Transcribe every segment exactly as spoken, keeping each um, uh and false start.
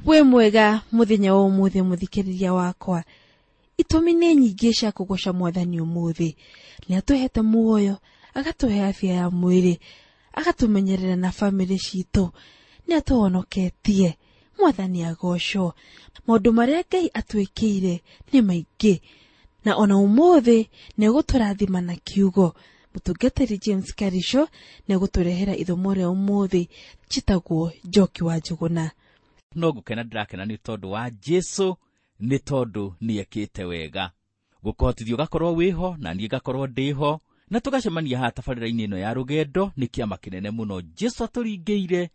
Wĩ mwega mũthenya wa ũmũthĩ mũthikĩrĩria wakwa. Itũmi nĩ nyingĩ cia kũgoca mwathani ũmũthĩ. Nĩ atũhete muoyo, agatũhe afya ya mwĩrĩ, agatũmenyerera na bamĩrĩ citũ, nĩ atũhonoketie. Mwathani agocwo. Maũndũ marĩa Ngai atwĩkĩire nĩ maingĩ, na ona ũmũthĩ nĩ egũtũrathima na kiugo. Mũtungatĩri James Karisho nĩ egũtũrehera ithomo rĩa ũmũthĩ. Njĩtagwo Njoki wa Njũgũna. No ngũkena ndĩrakena nĩ tondũ wa Jesu, nĩ tondũ nĩekĩte wega. Gũkũhotithia ũgakorwo wĩho na niĩ ngakorwo ndĩho, na tũgacemania haha tabarĩra-inĩ ĩno ya rũgendo nĩ kĩama kĩnene mũno Jesu atũringĩire,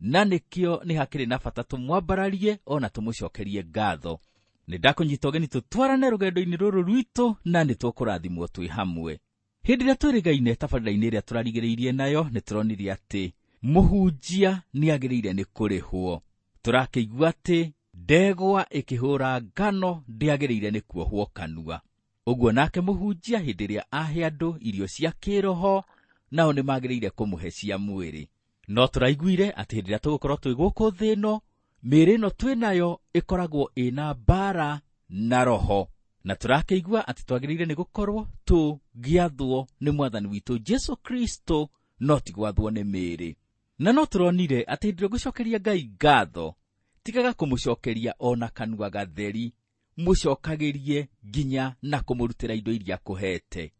na nĩkĩo nĩ hakĩrĩ na bata tũmwambararie ona tũmũcokerie ngatho. Nĩ ndakũnyita ũgeni tũtwarane rũgendo-inĩ rũrũ rwitũ, na nĩ tũkũrathimwo twĩ hamwe. Hĩndĩ ĩrĩa twĩrĩgaine tabarĩra-inĩ ĩrĩa tũrarigĩrĩirie nayo, nĩ tũronire atĩ mũhunjia nĩ agĩrĩire nĩ kũrĩhwo. Tũrakĩigua atĩ ndegwa ĩkĩhũra ngano ndĩagĩrĩire nĩ kuohwo kanua. Ũguo nake mũhunjia hĩndĩ ĩrĩa ahe andũ irio cia kĩroho, nao nĩ magĩrĩire kũmũhe cia mwĩrĩ. No tũraiguire atĩ hĩndĩ ĩrĩa tũgũkorwo twĩ gũkũ thĩ ĩno, mĩĩrĩ ĩno twĩ nayo ĩkoragwo ĩna mbara na roho. Na tũrakĩigua atĩ twagĩrĩire nĩ gũkorwo tũgĩathwo nĩ mwathani witũ Jesu Kristo, no ti gwathwo nĩ mĩĩrĩ. Na no tũronire atĩ hĩndĩ ĩrĩa ũgũcokeria Ngai ngatho, tigaga kũmũcokeria ona kanua gatheri, mũcokagĩrie nginya na kũmũrutĩra indo iria akũhete.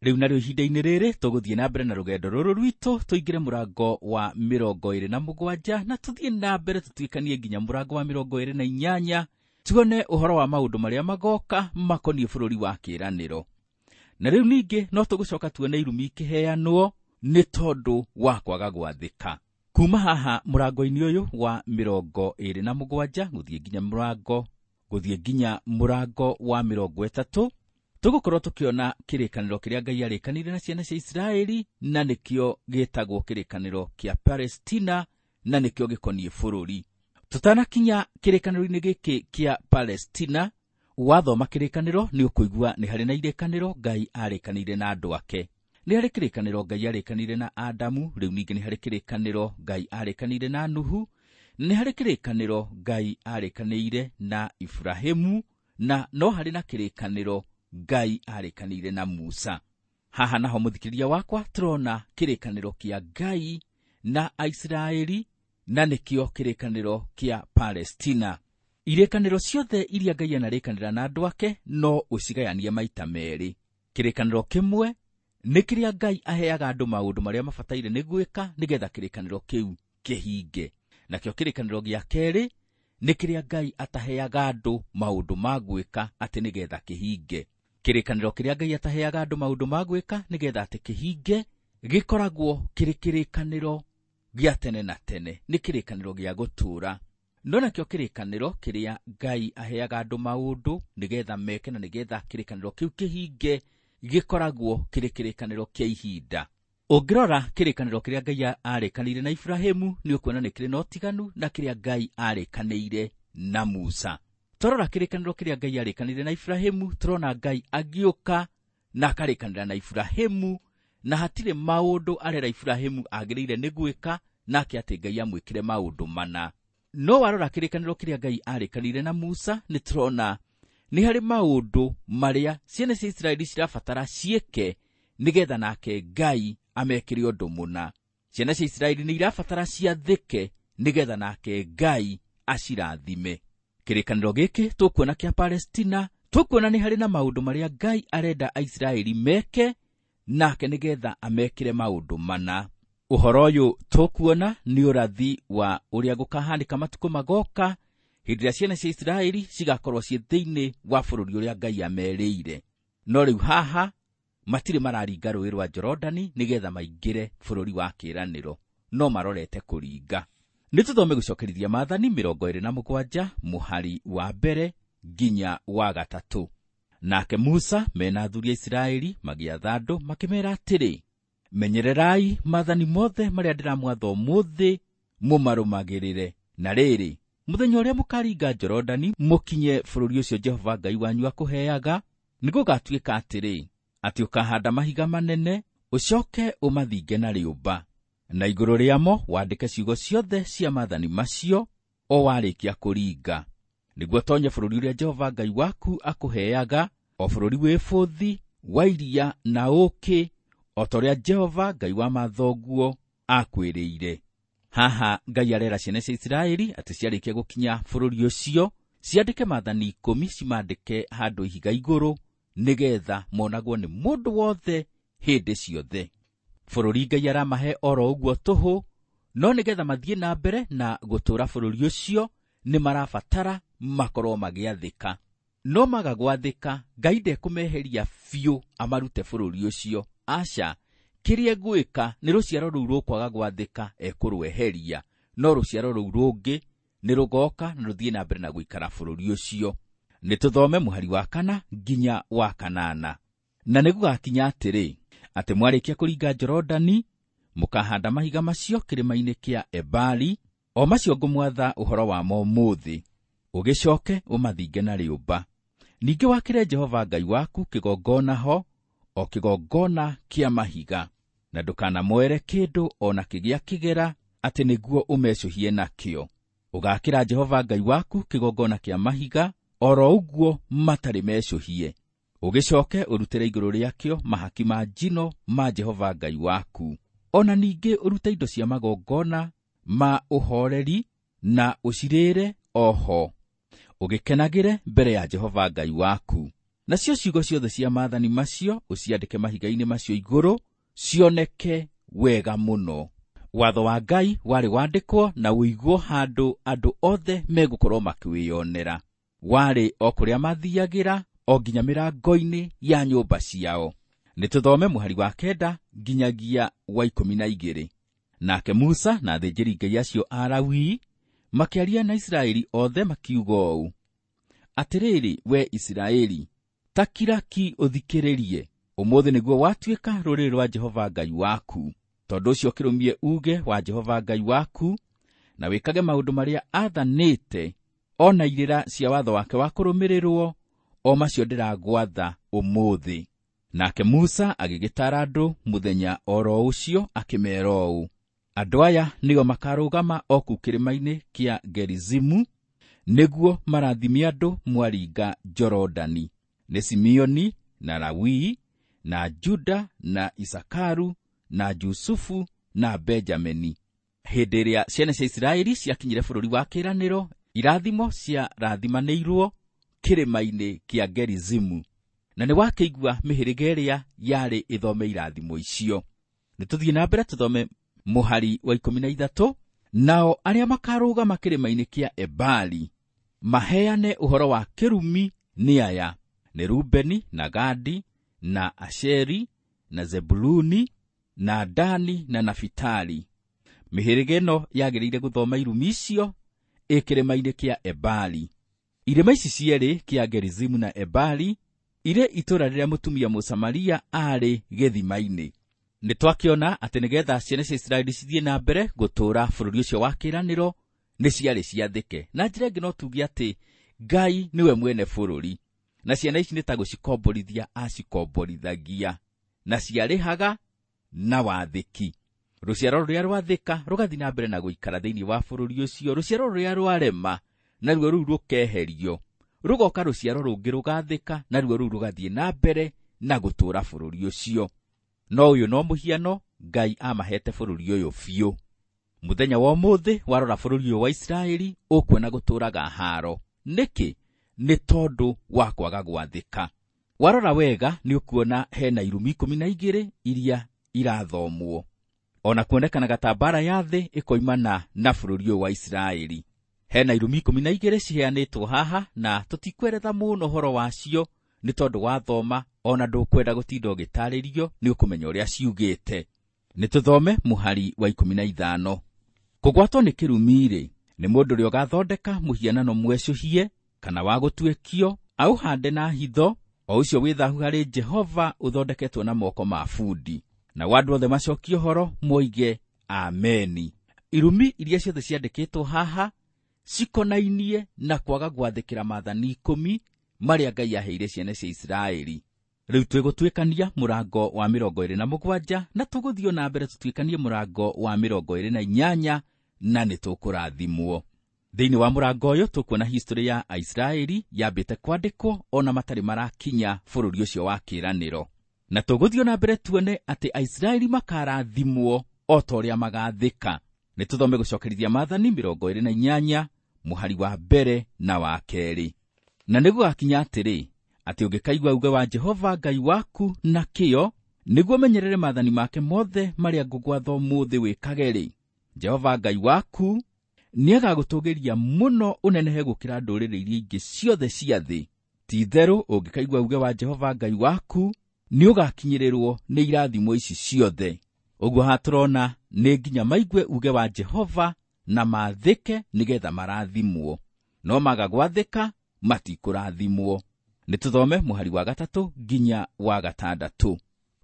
Rĩu narĩo ihinda-inĩ rĩrĩ tũgũthiĩ na mbere na rũgendo rũrũ rwitũ, tũingĩre mũrango wa mĩrongo ĩrĩ na mũgwanja, na tũthiĩ na mbere tũtuĩkanie nginya mũrango wa mĩrongo ĩrĩ na inyanya, tuone ũhoro wa maũndũ marĩa magoka makoniĩ bũrũri wa kĩĩranĩro. Na rĩu ningĩ no tũgũcoka tuone irumi ikĩheanwo nĩ tondũ wa kwaga gwathĩka. Kuma haha mũrango-inĩ ũyũ wa mĩrongo ĩrĩ na mũgwanja gũthiĩ nginya mũrango gũthiĩ nginya mũrango wa mĩrongo ĩtatũ, tũgũkorwo tũkĩona kĩrĩkanĩro kĩrĩa Ngai arĩkanĩire na ciana cia Isiraeli, na nĩkĩo gĩtagwo kĩrĩkanĩro kĩa Palestina, na nĩkĩo gĩkoniĩ bũrũri. Tũtanakinya kĩrĩkanĩro-inĩ gĩkĩ kĩa Palestina, wathoma kĩrĩkanĩro nĩ ũkũigua nĩ harĩ na irĩkanĩro Ngai arĩkanĩire na andũ ake. Nĩ harĩ kĩrĩkanĩro Ngai arĩkanĩire na Adamu, rĩu ningĩ nĩ harĩ kĩrĩkanĩro Ngai arĩkanĩire na Nuhu, nĩ harĩ kĩrĩkanĩro Ngai arĩkanĩire na Ibrahimu, na no harĩ na kĩrĩkanĩro Ngai arĩkanĩire na Musa. Haha naho mũthikĩrĩria wakwa tũrona kĩrĩkanĩro kĩa Ngai na Aisiraeli, na nĩkĩo kĩrĩkanĩro kĩa Palestina. Irĩkanĩro ciothe iria Ngai anarĩkanĩra na andũ ake no ũcigayanie maita merĩ. Kĩrĩkanĩro kĩmwe nĩ kĩrĩa Ngai aheaga andũ maũndũ marĩa mabataire nĩ gwĩka nĩgetha kĩrĩkanĩro kĩu kĩhinge. Nakĩo kĩrĩkanĩro gĩa kerĩ nĩ kĩrĩa Ngai ataheaga andũ maũndũ ma gwĩka atĩ nĩgetha kĩhinge. Kĩrĩkanĩro kĩrĩa Ngai ataheaga andũ maũndũ ma gwĩka nĩgetha atĩ kĩhinge gĩkoragwo kĩrĩ kĩrĩkanĩro gĩa tene na tene, nĩ kĩrĩkanĩro gĩa gũtũũra. No nakĩo kĩrĩkanĩro kĩrĩa Ngai aheaga andũ maũndũ nĩgetha meke na nĩgetha kĩrĩkanĩro kĩu kĩhinge gĩkoragwo kĩrĩ kĩrĩkanĩro kĩa ihinda. Ũngĩrora kĩrĩkanĩro kĩrĩa Ngai arĩkanĩire na Ibrahimu nĩ ũkuona nĩ kĩrĩ na ũtiganu na kĩrĩa Ngai arĩkanĩire na Musa. Twarora kĩrĩkanĩro kĩrĩa Ngai arĩkanĩire na Ibrahimu, tũrona Ngai agĩũka na akarĩkanĩra na Ibrahimu, na hatirĩ maũndũ arera Ibrahimu agĩrĩire nĩ gwĩka, nake atĩ Ngai amwĩkĩre maũndũ mana. No warora kĩrĩkanĩro kĩrĩa Ngai arĩkanĩire na Musa, nĩ tũrona nĩ harĩ maũndũ marĩa ciana cia Isiraeli cirabatara ciĩke nĩgetha nake Ngai amekĩre ũndũ mũna. Ciana cia Isiraeli nĩ irabatara ciathĩke nĩgetha nake Ngai acirathime. Kĩrĩkanĩro gĩkĩ tũkuona kĩa Palestina, tũkuona nĩ harĩ na maũndũ marĩa Ngai arenda Aisiraeli meke nake nĩgetha amekĩre maũndũ mana. Ũhoro ũyũ tũkuona nĩ ũrathi wa ũrĩa gũkahanĩka matukũ magoka hĩndĩ ĩrĩa ciana cia Isiraeli cigakorwo ciĩ thĩinĩ wa bũrũri ũrĩa Ngai amerĩire. No rĩu haha matirĩ mararinga rũĩ rwa Jorodani nĩgetha maingĩre bũrũri wa kĩĩranĩro, no marorete kũringa. Nĩ tũthome gũcokerithia maathani mĩrongo ĩrĩ na mũgwanja mũhari wa mbere nginya wa gatatũ. Nake Musa mena athuri a Isiraeli magĩatha andũ makĩmeera atĩrĩ, menyererai maathani mothe marĩa ndĩramwatha ũmũthĩ mũmarũmagĩrĩre. Na rĩrĩ, mũthenya ũrĩa mũkaringa Jorodani mũkinye bũrũri ũcio Jehova Ngai wanyu akũheaga, nĩgũgatuĩka atĩrĩ, atĩ ũkahanda mahiga manene ũcoke ũmathinge na rĩũmba, na igũrũ rĩamo wandĩke ciugo ciothe cia maathani macio o warĩkia kũringa, nĩguo tonye bũrũri ũrĩa Jehova Ngai waku akũheaga, o bũrũri wĩ bũthi wa iria na ũũkĩ, o ta ũrĩa Jehova Ngai wa mathoguo akwĩrĩire. Haha Ngai arera ciana cia Isiraeli atĩ ciarĩkia gũkinya bũrũri ũcio ciandĩke maathani ikũmi, cimandĩke handũ ihiga igũrũ, nĩgetha monagwo nĩ mũndũ wothe hĩndĩ ciothe. Bũrũri Ngai aramahe oro ũguo tũhũ, no nĩgetha mathiĩ na mbere na gũtũũra bũrũri ũcio nĩ marabatara makorwo magĩathĩka. No maga gwathĩka, Ngai ndekũmeheria biũ amarute bũrũri ũcio. Aca, kĩrĩa egwĩka nĩ rũciaro rũu rũkwaga gwathĩka ekũrweheria, no rũciaro rũu rũngĩ nĩ rũgoka na rũthiĩ na mbere na gũikara bũrũri ũcio. Nĩ tũthome mũhari wa kana nginya wa kanana. Na nĩ gũgakinya atĩrĩ, atĩ mwarĩkia kũringa Jorodani, mũkahanda mahiga macio kĩrĩma-inĩ kĩa Ebali, o macio ngũmwatha ũhoro wamo ũmũthĩ, ũgĩcoke ũmathinge na rĩũmba. Ningĩ wakĩre Jehova Ngai waku kĩgongona ho, o kĩgongona kĩa mahiga, na ndũkanamoere kĩndũ o na kĩgĩa kĩgera, atĩ nĩguo ũmecũhie nakĩo. Ũgaakĩra Jehova Ngai waku kĩgongona kĩa mahiga, oro ũguo matarĩ mecũhie. Ũgĩcoke ũrutĩre igũrũ rĩakĩo mahaki ma njino ma Jehova Ngai waku. O na ningĩ ũrute indo cia magongona ma ũhoreri na ũcirĩre o ho, ũgĩkenagĩre mbere ya Jehova Ngai waku. Nacio ciugo ciothe cia maathani macio ũciandĩke mahiga-inĩ macio igũrũ, cioneke wega mũno. Watho wa Ngai warĩ wandĩkwo na ũigwo handũ andũ othe megũkorwo makĩwĩyonera. Warĩ o kũrĩa mathiagĩra, o nginya mĩrango-inĩ ya nyũmba ciao. Nĩ tũthome mũhari wa kenda nginyagia wa ikũmi na igĩrĩ. Nake Musa na athĩnjĩri Ngai acio a Lawii makĩaria na Isiraeli othe makiuga ũũ: Atĩrĩrĩ, we Isiraeli, ta kira ki ũthikĩrĩrie, ũmũthĩ nĩguo watuĩka rũrĩrĩ rwa Jehova Ngai waku. Tondũ ũcio kĩrũmie uuge wa Jehova Ngai waku, na wĩkage maũndũ marĩa aathanĩte, o na irĩra cia watho wake wa kũrũmĩrĩrwo, o macio ndĩragwatha ũmũthĩ. Nake Musa agĩgĩtaara andũ mũthenya oro ũcio akĩmeera ũũ: Andũ aya nĩo makarũgama o kũu kĩrĩma-inĩ kĩa Gerizimu, nĩguo marathime andũ mwaringa Jorodani. Nĩ Simeoni na Lawii na Juda na Isakaru na Jusufu na Benjamini. Hĩndĩ ĩrĩa ciana cia Isiraeli ciakinyire bũrũri wa kĩĩranĩro, irathimo ciarathimanĩirwo kĩrĩma-inĩ kĩa Gerizimu, na nĩ wakĩigua mĩhĩrĩga ĩrĩa yarĩ ĩthome irathimo icio. Nĩ tũthiĩ na mbere tũthome mũhari wa ikũmi na ithatũ. Nao arĩa makarũgama kĩrĩma-inĩ kĩa Ebali maheane ũhoro wa kĩrumi nĩ aya: nĩ Rubeni na Gadi na Asheri na Zebuluni na Dani na Nafitali. Mĩhĩrĩga ĩno yagĩrĩire gũthoma irumi icio ĩ kĩrĩma-inĩ kĩa Ebali. Irĩma ici cierĩ, kĩa Gerizimu na Ebali, irĩ itũũra rĩrĩa mũtumia Mũsamaria aarĩ gĩthima-inĩ. Nĩ twakĩona atĩ nĩgetha ciana cia Isiraeli cithiĩ na mbere gũtũũra bũrũri ũcio wa kĩĩranĩro, nĩ ciarĩ ciathĩke. Na njĩra ĩngĩ no tuge atĩ Ngai nĩwe mwene bũrũri, na ciana ici nĩ ta gũcikomborithia acikomborithagia, na ciarĩhaga na wathĩki. Rũciaro rũrĩa rwathĩka rũgathiĩ na mbere na gũikara thĩinĩ wa bũrũri ũcio, rũciaro rũrĩa rwarema naruo rũu rũkeherio, rũgoka rũciaro rũngĩ rũgathĩka, naruo rũu rũgathiĩ na mbere na gũtũũra bũrũri ũcio. No ũyũ no mũhiano Ngai amahete bũrũri ũyũ biũ. Mũthenya wa ũmũthĩ warora bũrũri ũyũ wa Isiraeli ũkuona gũtũũraga haro. Nĩkĩ? Nĩ tondũ wa kwaga gwathĩka. Warora wega nĩ ũkuona hena irumi ikũmi na igĩrĩ iria irathomwo. Ona kuonekanaga ta mbara ya thĩ ĩkoimana na bũrũri ũyũ wa Isiraeli. Hena irumi ikũmi na igĩrĩ ciheanĩtwo haha, na tũtikweretha mũno ũhoro wacio nĩ tondũ wathoma ona ndũkwenda gũtinda ũgĩtarĩrio, nĩ ũkũmenya ũrĩa ciugĩte. Nĩ tũthome mũhari wa ikũmi na ithano. Kũgwatwo nĩ kĩrumi-rĩ, nĩ mũndũ ũrĩa ũgathondeka mũhianano mwecũhie kana wa gũtuĩkio, aũhande na hitho, o ũcio wĩ thaahu harĩ Jehova, ũthondeketwo na moko ma bundi. Nao andũ othe macokie ũhoro moige ameni. Irumi iria ciothe ciandĩkĩtwo haha cikonainie na kwaga gwathĩkĩra maathani ikũmi marĩa Ngai aheire ciana cia Isiraeli. Rĩu twĩgũtuĩkania mũrango wa mĩrongo ĩrĩ na mũgwanja, na tũgũthiĩ na mbere tũtuĩkanie mũrango wa mĩrongo ĩrĩ na inyanya, na nĩ tũkũrathimwo. Thĩinĩ wa mũrango ũyũ tũkuona history ya Aisiraeli yambĩte kwandĩkwo ona matarĩ marakinya bũrũri ũcio wa kĩĩranĩro. Na tũgũthiĩ na mbere tuone atĩ Aisiraeli makarathimwo o ta ũrĩa magathĩka. Nĩ tũthome gũcokerithia maathani mĩrongo ĩrĩ na inyanya mũhari wa mbere na wa kerĩ. Na nĩgũgakinya atĩrĩ, atĩ ũngĩkaigua uge wa Jehova Ngai waku na kĩyo, nĩguo menyerere maathani make mothe marĩa ngũgwatha ũmũthĩ wĩkage-rĩ, Jehova Ngai waku nĩagagũtũgĩria mũno ũnenehe gũkĩra ndũrĩrĩ iria ingĩ ciothe cia thĩ. Ti-itherũ ũngĩkaigua uge wa Jehova Ngai waku, nĩũgakinyĩrĩrwo nĩ irathimo ici ciothe. Ũguo haha tũrona nĩ nginya maigue uge wa Jehova na maathĩke nĩgetha marathimwo. No maga gwathĩka matikũrathimwo. Nĩ tũthome mũhari wa gatatũ nginya wa gatandatũ.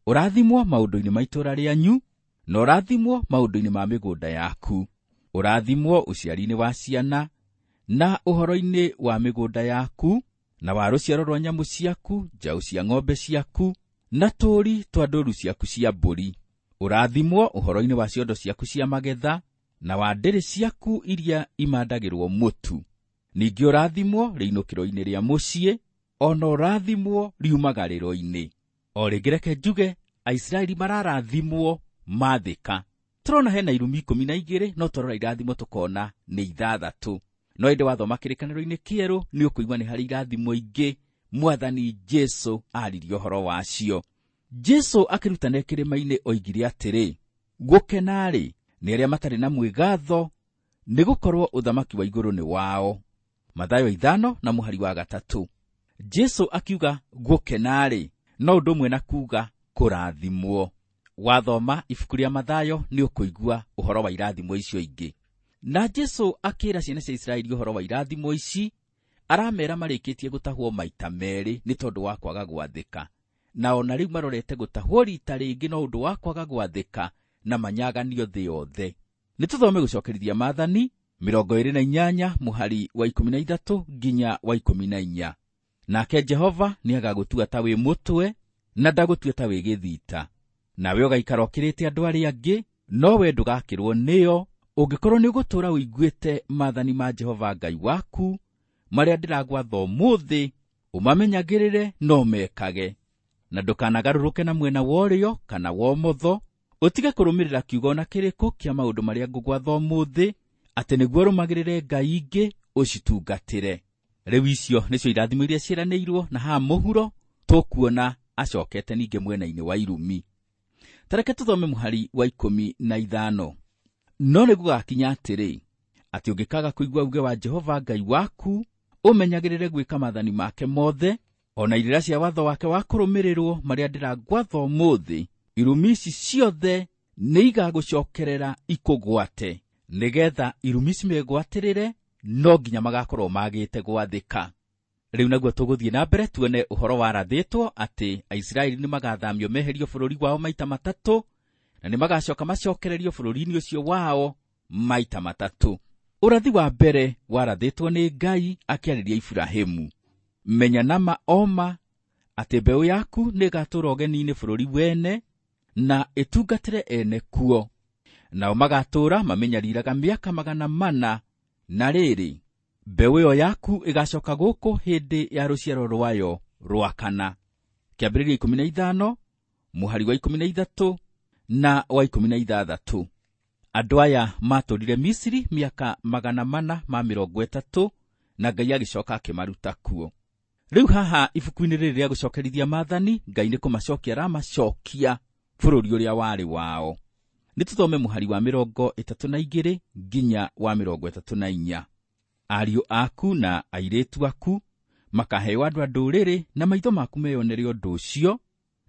Ũrathimwo maũndũ-inĩ ma itũũra rĩanyu, na ũrathimwo maũndũ-inĩ ma mĩgũnda yaku. Ũrathimwo ũciari-inĩ wa ciana, na ũhoro-inĩ wa mĩgũnda yaku, na wa rũciaro rwa nyamũ ciaku, njaũ cia ng'ombe ciaku, na tũũri twa ndũũru ciaku cia mbũri. Ũrathimwo ũhoro-inĩ wa ciondo ciaku cia magetha, na wa ndĩrĩ ciaku iria imandagĩrwo mũtu. Ningĩ ũrathimwo rĩinũkĩro-inĩ rĩa mũciĩ, ona ũrathimwo riumagarĩro-inĩ. O rĩngĩ reke njuge, Aisiraeli mararathimwo mathĩka. Tũrona hena irumi ikũmi na igĩrĩ, no twarora irathimo tũkona nĩ ithathatũ. No ĩndĩ wathoma kĩrĩkanĩro-inĩ kĩerũ nĩ ũkũigua nĩ harĩ irathimo ingĩ Mwathani Jesu aririe ũhoro wacio. Jesu akĩrutana kĩrĩma-inĩ oigire atĩrĩ, gũkena-rĩ nĩ arĩa matarĩ na mwĩgatho, nĩgũkorwo ũthamaki wa igũrũ nĩ wao. Mathayo ithano na mũhari wa gatatũ. Jesu akiuga gũkena-rĩ no ũndũ ũmwe na kuuga kũrathimwo. Wathoma ibuku rĩa Mathayo nĩ ũkũigua ũhoro wa irathimo icio ingĩ. Na Jesu akĩra ciana cia Isiraeli ũhoro wa irathimo ici, aramera marĩkĩtie gũtahwo maita merĩ nĩ tondũ wa kwaga gwathĩka. Na ona rĩu marorete gũtahwo rita rĩngĩ no ũndũ wa kwaga gwathĩka na manyaganio thĩ yothe. Nĩ tũthome gũcokerithia maathani mĩrongo ĩrĩ na inyanya mũhari wa ikũmi na ithatũ nginya wa ikũmi na inya. Nake Jehova nĩagagũtua ta wĩ mũtwe na ndagũtue ta wĩ gĩthita. Nawe ũgaikara ũkĩrĩte andũ arĩa angĩ, no we ndũgakĩrwo nĩo, ũngĩkorwo nĩũgũtũũra ũiguĩte maathani ma Jehova Ngai waku marĩa ndĩragwatha ũmũthĩ, ũmamenyagĩrĩre na ũmekage. Na ndũkanagarũrũke na mwena wa ũrĩo kana wa ũmotho, ũtige kũrũmĩrĩra kiugo na kĩrĩkũ kĩa maũndũ marĩa ngũgwatha ũmũthĩ, atĩ nĩguo ũrũmagĩrĩre ngai ingĩ ũcitungatĩre. Rĩu icio nĩcio irathimo iria ciĩranĩirwo, na haha mũhuro tũkuona acokete ningĩ mwena-inĩ wa irumi. Tareke tũthome mũhari wa ikũmi na ithano. No nĩgũgakinya atĩrĩ, atĩ ũngĩkaga kũigua uge wa Jehova Ngai waku, ũmenyagĩrĩre gwĩka maathani make mothe, ona irĩra cia watho wake wa kũrũmĩrĩrwo marĩa ndĩragwatha ũmũthĩ, irumi ici ciothe nĩigagũcokerera ikũgwate, nĩgetha irumi cimegwatĩrĩre, no nginya magakorwo magĩte gwathĩka. Rĩu naguo tũgũthiĩ na mbere tuone ũhoro warathĩtwo atĩ Aisiraeli nĩmagathamio meherio bũrũri wao maita matatũ, na nĩmagacoka macokererio bũrũri-inĩ ũcio wao maita matatũ. Ũrathi wa mbere warathĩtwo nĩ Ngai akĩarĩria Iburahĩmu. Menya nama oma atĩ mbeũ yaku nĩĩgatũũra ũgeni-inĩ bũrũri wene, na ĩtungatĩre ene kuo. Nao magatũũra mamenyariraga mĩaka magana mana, na rĩrĩ, mbeũ ĩyo yaku ĩgacoka gũkũ hĩndĩ ya rũciaro rwayo rwa kana. Kĩambĩrĩria ikũmi na ithano mũhari wa ikũmi na ithatũ na wa ikũmi na ithathatũ. Andũ aya matũũrire Misiri mĩaka magana mana ma mĩrongo ĩtatũ, na Ngai agĩcoka akĩmaruta kuo. Rĩu haha ibuku-inĩ rĩrĩ rĩa gũcokerithia maathani, Ngai nĩ kũmacokia aramacokia bũrũri ũrĩa warĩ wao. Nĩ tũthome mũhari wa mĩrongo ĩtatũ na igĩrĩ nginya wa mĩrongo ĩtatũ na inya. Ariũ aku na airĩtu aku makaheo andũ a ndũrĩrĩ, na maitho maku meyonere ũndũ ũcio,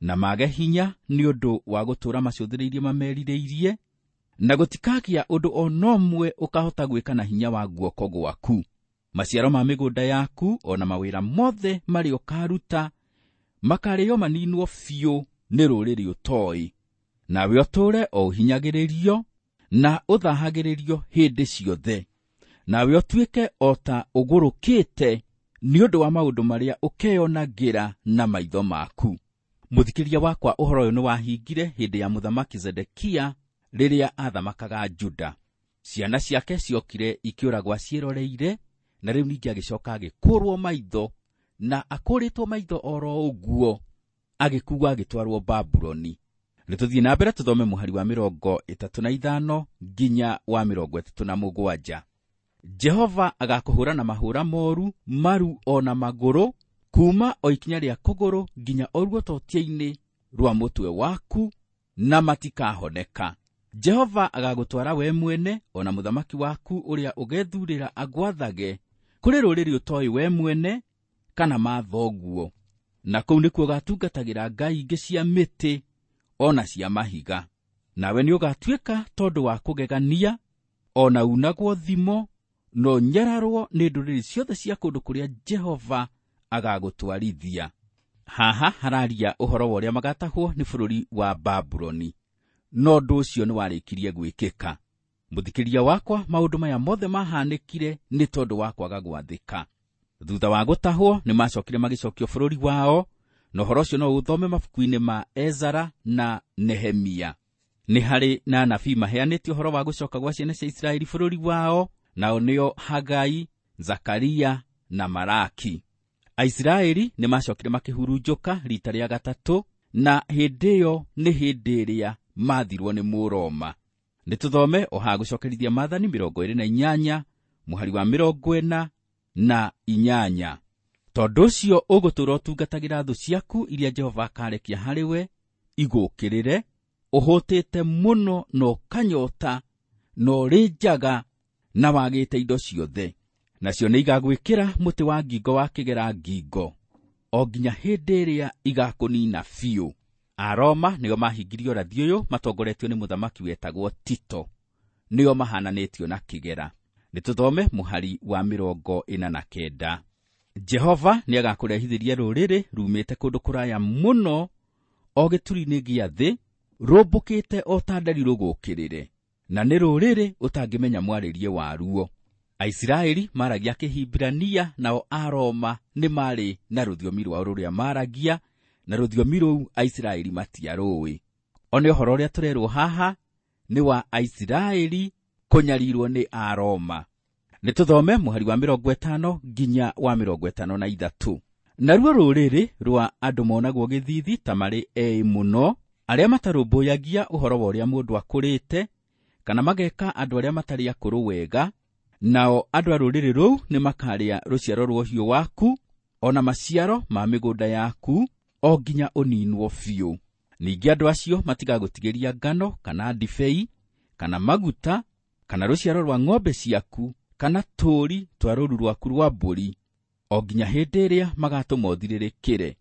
na mage hinya nĩ ũndũ wa gũtũũra macũthĩrĩirie mamerirĩirie, na gũtikagĩa ũndũ o na ũmwe ũkahota gwĩka na hinya wa guoko gwaku. Maciaro ma mĩgũnda yaku o na mawĩra mothe marĩa ũkaruta makarĩo maninwo biũ nĩ rũrĩrĩ ũtoĩ. Nawe ũtũũre o ũhinyagĩrĩrio na ũthahagĩrĩrio hĩndĩ ciothe. Nawe ũtuĩke o ta ũgũrũkĩte nĩ ũndũ wa maũndũ marĩa ũkeyonagĩra na maitho maku. Mũthikĩria wakwa, ũhoro ũyũ nĩwahingire hĩndĩ ya mũthamaki Zedekia rĩrĩa athamakaga Juda. Ciana ciake ciokire ikĩũragwo ciĩroreire, na rĩu ningĩ agĩcoka agĩkũrwo maitho, na akũrĩtwo maitho oro ũguo agĩkuwa agĩtwarwo Babuloni. Nĩ tũthiĩ na mbere tũthome mũhari wa mĩrongo ĩtatũ na ithano nginya wa mĩrongo ĩtatũ na mũgwanja. Jehova agakũhũra na mahũra moru, maru ona magũrũ, kuma o ikinya rĩa kũgũrũ nginya o ruototia-inĩ rwa mũtwe waku, na matikahoneka. Jehova agagũtwara we mwene ona mũthamaki waku ũrĩa ũgethurĩra agwathage kũrĩ rũrĩrĩ ũtoĩ we mwene kana mathoguo, na kũu nĩkuo ũgatungatagĩra ngai ingĩ cia mĩtĩ ona cia mahiga. Nawe nĩũgatuĩka tondũ wa kũgegania, ona unagwo thimo, na ũnyararwo nĩ ndũrĩrĩ ciothe cia kũndũ kũrĩa Jehova agagũtwarithia. Haha hararia ũhoro wa ũrĩa magatahwo nĩ bũrũri wa Babuloni, no ũndũ ũcio nĩwarĩkirie gwĩkĩka. Mũthikĩria wakwa, maũndũ maya mothe mahanĩkire nĩ tondũ wa kwaga gwathĩka. Thutha wa gũtahwo nĩmacokire magĩcokio bũrũri wao, na ũhoro ũcio no ũthome mabuku-inĩ ma Ezara na Nehemia. Nĩ harĩ na anabii maheanĩte ũhoro wa gũcoka gwa ciana cia Isiraeli bũrũri wao, nao nĩo Hagai, Zakaria na Malaki. Aisiraeli nĩmacokire makĩhurunjũka rita rĩa gatatũ, na hĩndĩ ĩyo nĩ hĩndĩ ĩrĩa mathirwo nĩ Mũroma. Nĩ tũthome o haha gũcokerithia Maathani mĩrongo ĩrĩ na inyanya mũhari wa mĩrongo ĩna na inyanya. Tondũ ũcio ũgũtũũra ũtungatagĩra thũ ciaku iria Jehova akarekia harĩ we igũũkĩrĩre, ũhũtĩte mũno na ũkanyota, na ũrĩ njaga na wagĩte indo ciothe. Nacio nĩigagwĩkĩra mũtĩ wa ngingo wa kĩgera ngingo, o nginya hĩndĩ ĩrĩa igakũnina biũ. Aroma nĩo mahingirie ũrathi ũyũ matongoretio nĩ mũthamaki wetagwo Tito, nĩo mahananĩtio na kĩgera. Nĩ tũthome mũhari wa mĩrongo ĩna na kenda. Jehova nĩagakũrehithĩria rũrĩrĩ rumĩte kũndũ kũraya mũno, o gĩturi-inĩ gĩa thĩ, rũmbũkĩte o ta nderi rũgũkĩrĩre, na nĩ rũrĩrĩ ũtangĩmenya mwarĩrie waruo. Aisiraeli maragia Kĩhibirania, nao Aroma nĩ marĩ na rũthiomi rwao rũrĩa maragia, na rũthiomi rũu Aisiraeli matiarũĩ. One ũhoro ũrĩa tũrerwo haha nĩ wa Aisiraeli kũnyarirwo nĩ Aroma. Nĩ tũthome mũhari wa mĩrongo ĩtano nginya wa mĩrongo ĩtano na ithatũ. Naruo rũrĩrĩ rwa andũ monagwo gĩthithi ta marĩ eĩ mũno, arĩa matarũmbũyagia ũhoro wa ũrĩa mũndũ akũrĩte, kana mageka andũ arĩa matarĩ akũrũ wega, nao andũ a rũrĩrĩ rũu nĩ makarĩa rũciaro rwa ũhiũ waku, ona maciaro ma mĩgũnda yaku, o nginya ũninwo biũ. Ningĩ andũ acio matigagũtigĩria ngano, kana ndibei, kana maguta, kana rũciaro rwa ng'ombe ciaku, kana tũũri twa rũũru rwaku rwa mbũri, o nginya hĩndĩ ĩrĩa magatũma ũthirĩrĩkĩre.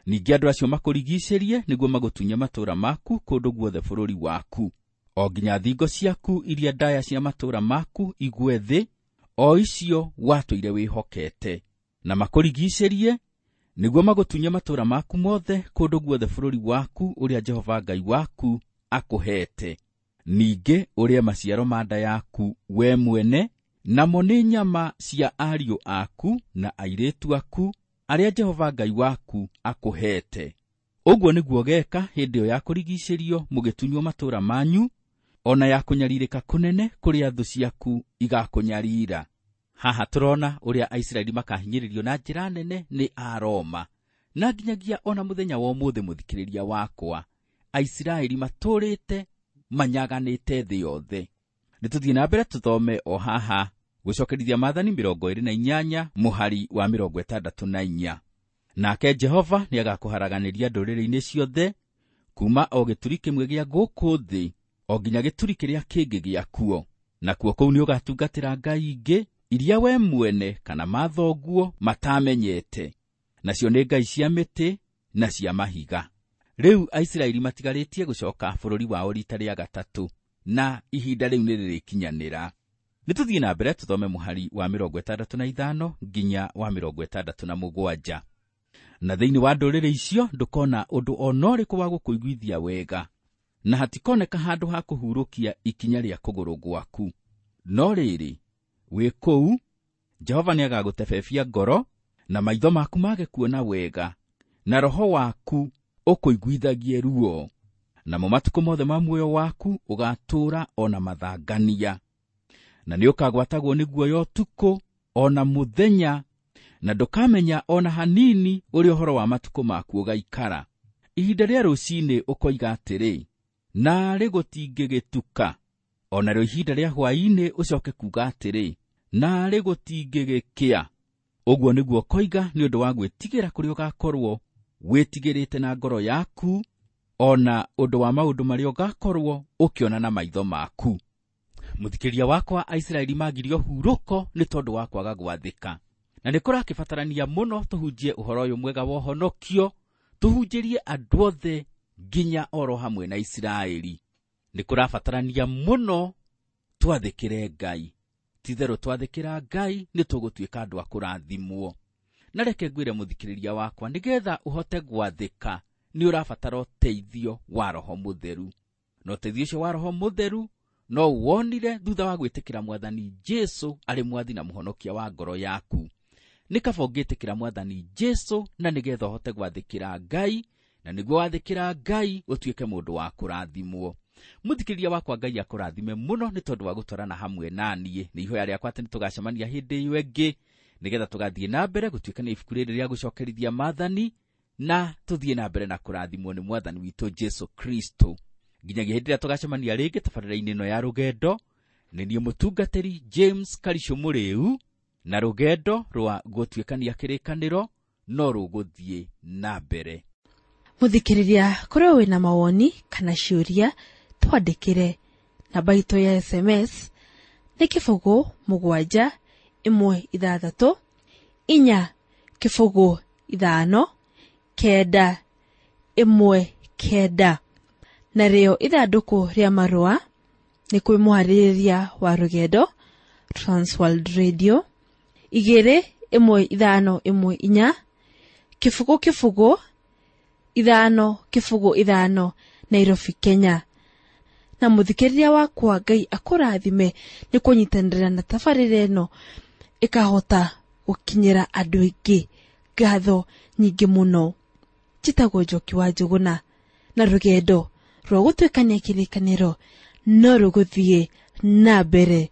Ningĩ andũ acio makũrigiicĩrie nĩguo magũtunye matũũra maku kũndũ guothe bũrũri waku, o nginya thingo ciaku iria ndaya cia matũũra maku igwe thĩ, o icio watũire wĩhokete, na makũrigiicĩrie nĩguo magũtunye matũũra maku mothe kũndũ guothe bũrũri waku ũrĩa Jehova Ngai waku akũheete. Ningĩ ũrĩe maciaro ma nda yaku we mwene, namo nĩ nyama cia ariũ aku na airĩtu aku arĩa Jehova Ngai waku akũheete. Ũguo nĩguo geeka hĩndĩ ĩyo ya kũrigiicĩrio mũgĩtunywo matũũra manyu, ona ya kũnyarirĩka kũnene kũrĩa thũ ciaku igakũnyarira. Haha tũrona ũrĩa Aisiraeli makahinyĩrĩrio na njĩra nene nĩ Aroma, na nginyagia ona mũthenya wa ũmũthĩ mũthikĩrĩria wakwa, Aisiraeli matũũrĩte manyaganĩte thĩ yothe. Nĩ tũthiĩ na mbere tũthome o haha gũcokerithia Maathani mĩrongo ĩrĩ na inyanya mũhari wa mĩrongo ĩtandatũ na inya. Nake Jehova nĩagakũharaganĩria ndũrĩrĩ-inĩ ciothe, kuma o gĩturi kĩmwe gĩa gũkũ thĩ o nginya gĩturi kĩrĩa kĩngĩ gĩakuo, nakuo kũu nĩũgatungatĩra ngai ingĩ iria we mwene kana mathoguo matamenyete, nacio nĩ ngai cia mĩtĩ na cia mahiga. Rĩu Aisiraeli matigarĩtie gũcoka bũrũri wao rita rĩa gatatũ, na ihinda rĩu nĩrĩrĩkinyanĩra. Nĩ tũthiĩ na mbere tũthome mũhari wa mĩrongo ĩtandatũ na ithano nginya wa mĩrongo ĩtandatũ na mũgwanja. Na thĩinĩ wa ndũrĩrĩ icio ndũkona ũndũ o na ũrĩkũ wa gũkũiguithia wega, na hatikoneka handũ ha kũhurũkia ikinya rĩa kũgũrũ gwaku. No rĩrĩ, wĩ kũu Jehova nĩagagũtebebia ngoro, na maitho maku mage kuona wega, na roho waku ũkũiguithagie ruo. Namo matukũ mothe ma muoyo waku ũgatũũra ona mathangania. Na nĩ ũkagwatagwo nĩ guoya ũtukũ o na mũthenya, na ndũkamenya o na hanini ũrĩa ũhoro wa matukũ maku ũgaikara. Ihinda rĩa rũcinĩ ũkoiga atĩrĩ, naarĩ gũtingĩgĩtuka. O narĩo ihinda rĩa hwaĩ-inĩ ũcoke kuuga atĩrĩ, naarĩ gũtingĩgĩkĩa. Ũguo nĩguo ũkoiga nĩ ũndũ wa gwĩtigĩra kũrĩa ũgakorwo wĩtigĩrĩte na ngoro yaku, o na ũndũ wa maũndũ marĩa ũgakorwo ũkĩona na maitho maku. Mũthikĩria wakwa, Aisiraeli magirio hurũko nĩ tondũ wa kwaga gwathĩka. Na nĩ kũrakĩbatarania mũno tũhunjie ũhoro ũyũ mwega wa ũhonokio, tũhunjĩrie andũ othe nginya oro hamwe na Isiraeli. Nĩ kũrabatarania mũno twathĩkĩre Ngai. Ti-itherũ twathĩkĩra Ngai nĩ tũgũtuĩka andũ a kũrathimwo. Na reke ngwĩre mũthikĩrĩria wakwa, nĩgetha ũhote gwathĩka nĩ ũrabatara ũteithio wa Roho Mũtheru. Na ũteithio ũcio wa Roho Mũtheru no wonire thutha wa gwĩtĩkĩra Mwathani Jesu arĩ mwathi na mũhonokia wa ngoro yaku. Nĩ kaba ũngĩtĩkĩra Mwathani Jesu na nĩgetha ũhote gwathĩkĩra Ngai, na nĩguo wathĩkĩra Ngai ũtuĩke mũndũ wa kũrathimwo. Mũthikĩrĩria wakwa, Ngai akũrathime mũno nĩ tondũ wa gũtwarana hamwe na niĩ. Nĩ ihoya rĩakwa atĩ nĩtũgacemania hĩndĩ ĩyo ĩngĩ, nĩgetha tũgathiĩ na mbere gũtuĩkania ibuku rĩrĩ rĩa gũcokerithia maathani, na tũthiĩ na mbere na kũrathimwo nĩ Mwathani witũ Jesu Kristo. Nginyagia hĩndĩ ĩrĩa tũgacemania rĩngĩ tabarĩra-inĩ ĩno ya rũgendo, nĩ niĩ mũtungatĩri James Karicũ Mũrĩu, na rũgendo rwa gũtuĩkania kĩrĩkanĩro no rũgũthiĩ na mbere. Mũthikĩrĩria, korwo wĩna mawoni kana ciũria, twandĩkĩre. Namba itũ ya S M S nĩ kĩbũgũ mũgwanja ĩmwe ithathatũ inya kĩbũgũ ithano kenda ĩmwe kenda. Narĩo ithandũkũ rĩa marũa nĩ kwĩ mũharĩrĩria wa rũgendo Transworld Radio igĩrĩ ĩmwe ithano ĩmwe inya kĩbũgũ kĩbũgũ ithano kĩbũgũ ithano Nairobi, Kenya. Na mũthikĩrĩria wakwa, Ngai akũrathime nĩ kũnyitanĩra na tabarĩra ĩno ĩkahota gũkinyĩra andũ aingĩ. Ngatho nyingĩ mũno. Njĩtagwo Njoki wa Njũgũna, na rũgendo rwa gũtuĩkania kĩrĩkanĩro no rũgũthiĩ na mbere.